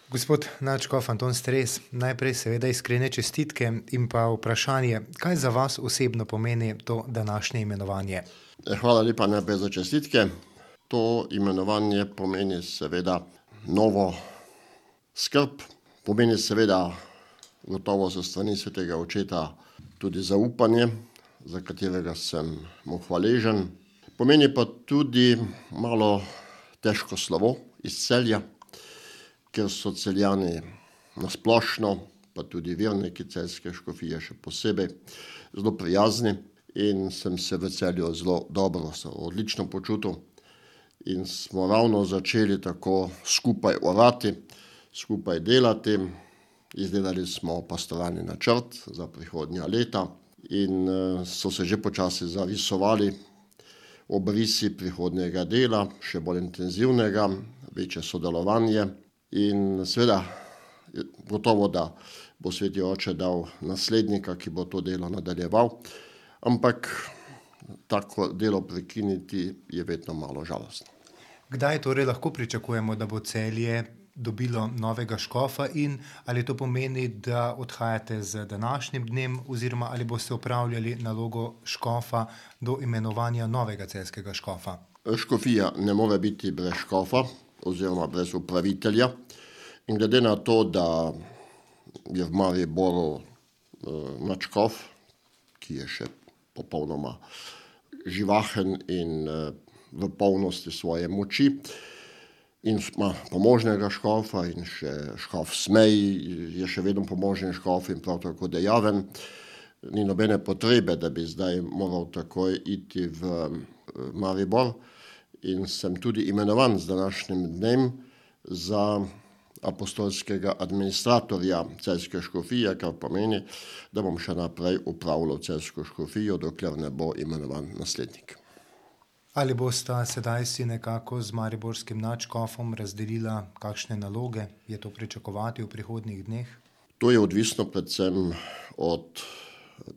Gospod nadškof Anton Stres, najprej seveda iskrene čestitke in pa vprašanje, kaj za vas osebno pomeni to današnje imenovanje? Hvala lepa najprej za čestitke. To imenovanje pomeni seveda novo skrb, pomeni seveda gotovo so strani svetega očeta tudi zaupanje, za katerega sem mu hvaležen. Pomeni pa tudi malo težko slovo iz Celja, ker so Celjani nasplošno, pa tudi verniki celjske škofije še posebej, zelo prijazni in sem se v Celju zelo dobro, odlično počutil. In smo ravno začeli tako skupaj orati, skupaj delati. Izdelali smo pastoralni načrt za prihodnja leta in so se že počasi zarisovali obrisi prihodnjega dela, še bolj intenzivnega, večje sodelovanje. In seveda, gotovo, da bo sveti oče dal naslednika, ki bo to delo nadaljeval, ampak tako delo prekiniti je vedno malo žalostno. Kdaj torej lahko pričakujemo, da bo Celje dobilo novega škofa in ali to pomeni, da odhajate z današnjim dnem oziroma ali boste opravljali nalogo škofa do imenovanja novega celjskega škofa? Škofija ne more biti brez škofa oziroma brez upravitelja. In glede na to, da je v Mariboru nadškof, ki je še popolnoma živahen in v polnosti svoje moči, in ima pomožnega škofa in še škof Smej je še vedno pomožen škof in prav tako dejaven. Ni nobene potrebe, da bi zdaj moral takoj iti v Maribor in sem tudi imenovan z današnjim dnem za apostolskega administratorja celjske škofije, kar pomeni, da bom še naprej upravljal celjsko škofijo, dokler ne bo imenovan naslednik. Ali bosta sedaj si nekako z mariborskim nadškofom razdelila kakšne naloge? Je to pričakovati v prihodnjih dneh? To je odvisno predvsem od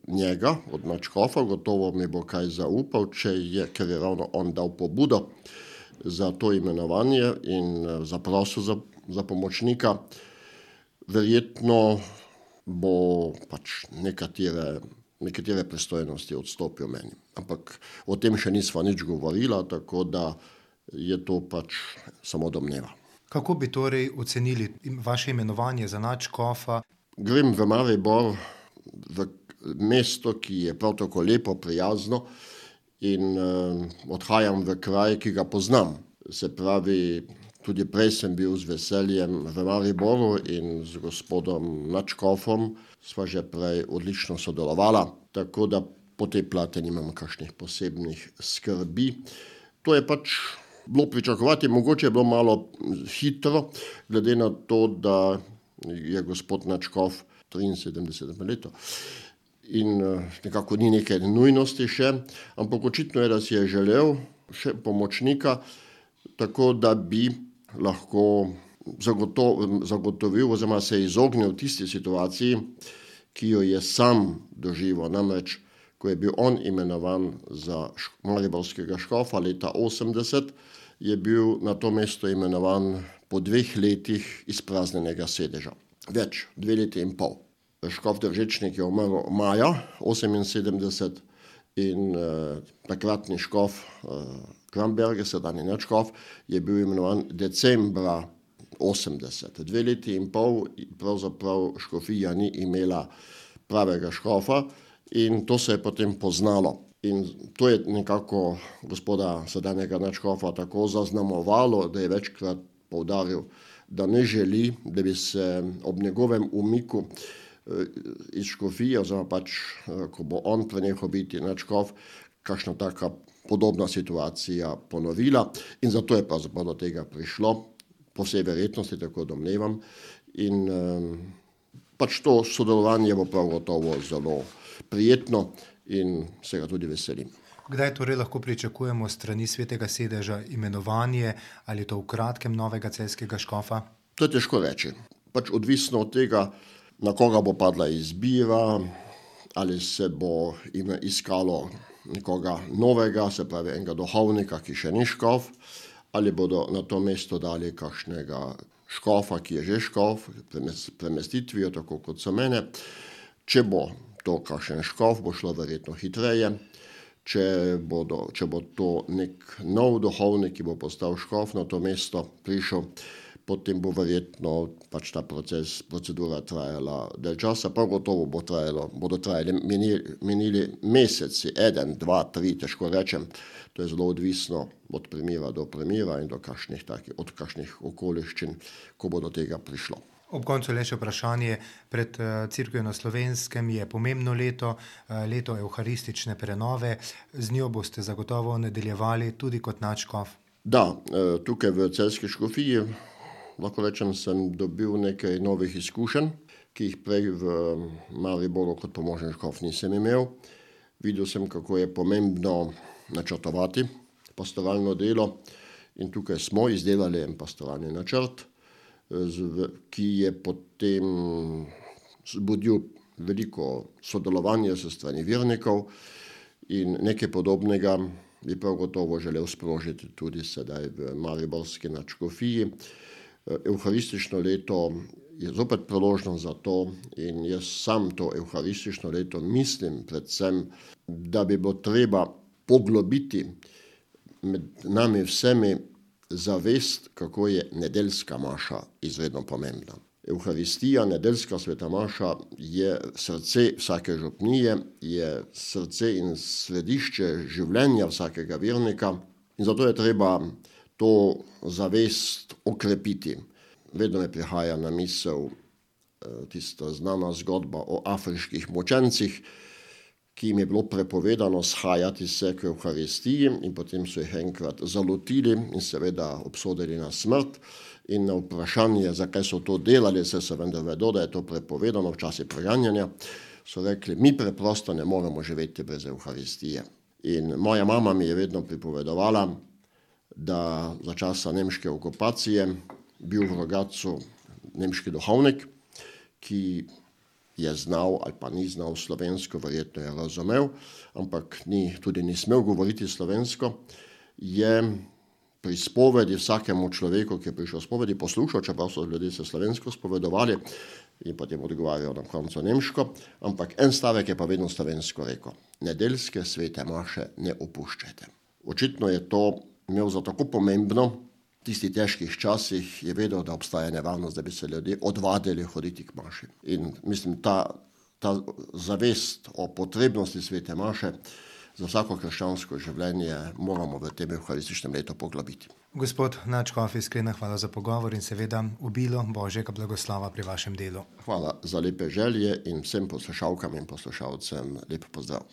njega, od nadškofa. Gotovo mi bo kaj zaupal, ker je ravno on dal pobudo za to imenovanje in zaprosil za pomočnika. Verjetno bo pač nekatere pristojnosti odstopil meni. Ampak o tem še nisva nič govorila, tako da je to pač samo domneva. Kako bi torej ocenili vaše imenovanje za nadškofa? Grem v Maribor, v mesto, ki je prav tako lepo, prijazno in odhajam v kraj, ki ga poznam. Se pravi, tudi prej sem bil z veseljem v Mariboru in z gospodom nadškofom sva že prej odlično sodelovala, tako da po tej plati nimam kakšnih posebnih skrbi. To je pač bilo pričakovati, mogoče je bilo malo hitro, glede na to, da je gospod nadškof 73 let in nekako ni neke nujnosti še, ampak očitno je, da si je želel še pomočnika, tako da bi lahko zagotovil oziroma se izognil tisti situaciji, ki jo je sam doživel. Namreč, ko je bil on imenovan za mariborskega škofa leta 80, je bil na to mesto imenovan po 2 letih izpraznjenega sedeža. 2 leti in pol. Škof Držečnik je umrl maja 78 in takratni škof Kramberger, sedanji nadškof, je bil imenovan decembra 80. 2 leti in pol pravzaprav škofija ni imela pravega škofa in to se je potem poznalo. In to je nekako gospoda sedanjega nadškofa tako zaznamovalo, da je večkrat poudaril, da ne želi, da bi se ob njegovem umiku iz škofije, oziroma pač, ko bo on prenehal biti nadškof, kakšna taka podobna situacija ponovila in zato je pravzaprav do tega prišlo, po vsej verjetnosti, tako domnevam. In pač to sodelovanje bo prav gotovo zelo prijetno in se ga tudi veselim. Kdaj torej lahko pričakujemo s strani svetega sedeža imenovanje ali to v kratkem novega celjskega škofa? To je težko reči. Pač odvisno od tega, na koga bo padla izbira, ali se bo iskalo nekoga novega, se pravi enega duhovnika, ki še ni škof, ali bodo na to mesto dali kakšnega škofa, ki je že škof, premestitvijo, tako kot so mene. Če bo to kakšen škof, bo šlo verjetno hitreje. Če bo to nek nov duhovnik, ki bo postal škof na to mesto prišel, potem bo verjetno pač ta procedura trajala del časa. Prav gotovo bodo menili meseci, 1, 2, 3, težko rečem. To je zelo odvisno od primera do primera in od kakšnih okoliščin, ko bo do tega prišlo. Ob koncu le še vprašanje. Pred Cerkvijo na Slovenskem je pomembno leto, leto evharistične prenove. Z njo boste zagotovo nadaljevali tudi kot nadškof. Da, tukaj v celjski škofiji, lahko rečem, sem dobil nekaj novih izkušenj, ki jih prej v Mariboru kot pomožni škof nisem imel. Videl sem, kako je pomembno načrtovati pastoralno delo in tukaj smo izdelali en pastoralni načrt, ki je potem zbudil veliko sodelovanja s strani vernikov in nekaj podobnega bi prav gotovo želel sprožiti tudi sedaj v mariborski nadškofiji. Evharistično leto je zopet priložnost za to in jaz sam to evharistično leto mislim predvsem, da bi bilo treba poglobiti med nami vsemi zavest, kako je nedeljska maša izredno pomembna. Evharistija, nedeljska sveta maša je srce vsake župnije, je srce in središče življenja vsakega vernika in zato je treba to zavest okrepiti. Vedno me prihaja na misel tista znana zgodba o afriških mučencih, ki jim je bilo prepovedano shajati se k evharistiji in potem so jih enkrat zalotili in seveda obsodili na smrt. In na vprašanje, zakaj so to delali, saj se vendar vedo, da je to prepovedano v časi preganjanja, so rekli, mi preprosto ne moremo živeti brez evharistije. In moja mama mi je vedno pripovedovala, da za časa nemške okupacije bil v Rogatcu nemški duhovnik, ki je znal ali pa ni znal slovensko, verjetno je razumel, ampak tudi ni smel govoriti slovensko, je pri spovedi vsakemu človeku, ki je prišel v spovedi, poslušal, čeprav so ljudje se slovensko spovedovali in potem odgovarjal na koncu nemško, ampak en stavek je pa vedno slovensko rekel: nedeljske svete maše ne opuščajte. Očitno je to imel za tako pomembno, v tistih težkih časih je vedel, da obstaja nevarnost, da bi se ljudje odvadili hoditi k maši. In mislim, ta zavest o potrebnosti svete maše za vsako krščansko življenje moramo v tem evharističnem letu poglobiti. Gospod nadškof, iskrena hvala za pogovor in seveda obilo Božjega blagoslova pri vašem delu. Hvala za lepe želje in vsem poslušalkam in poslušalcem lep pozdrav.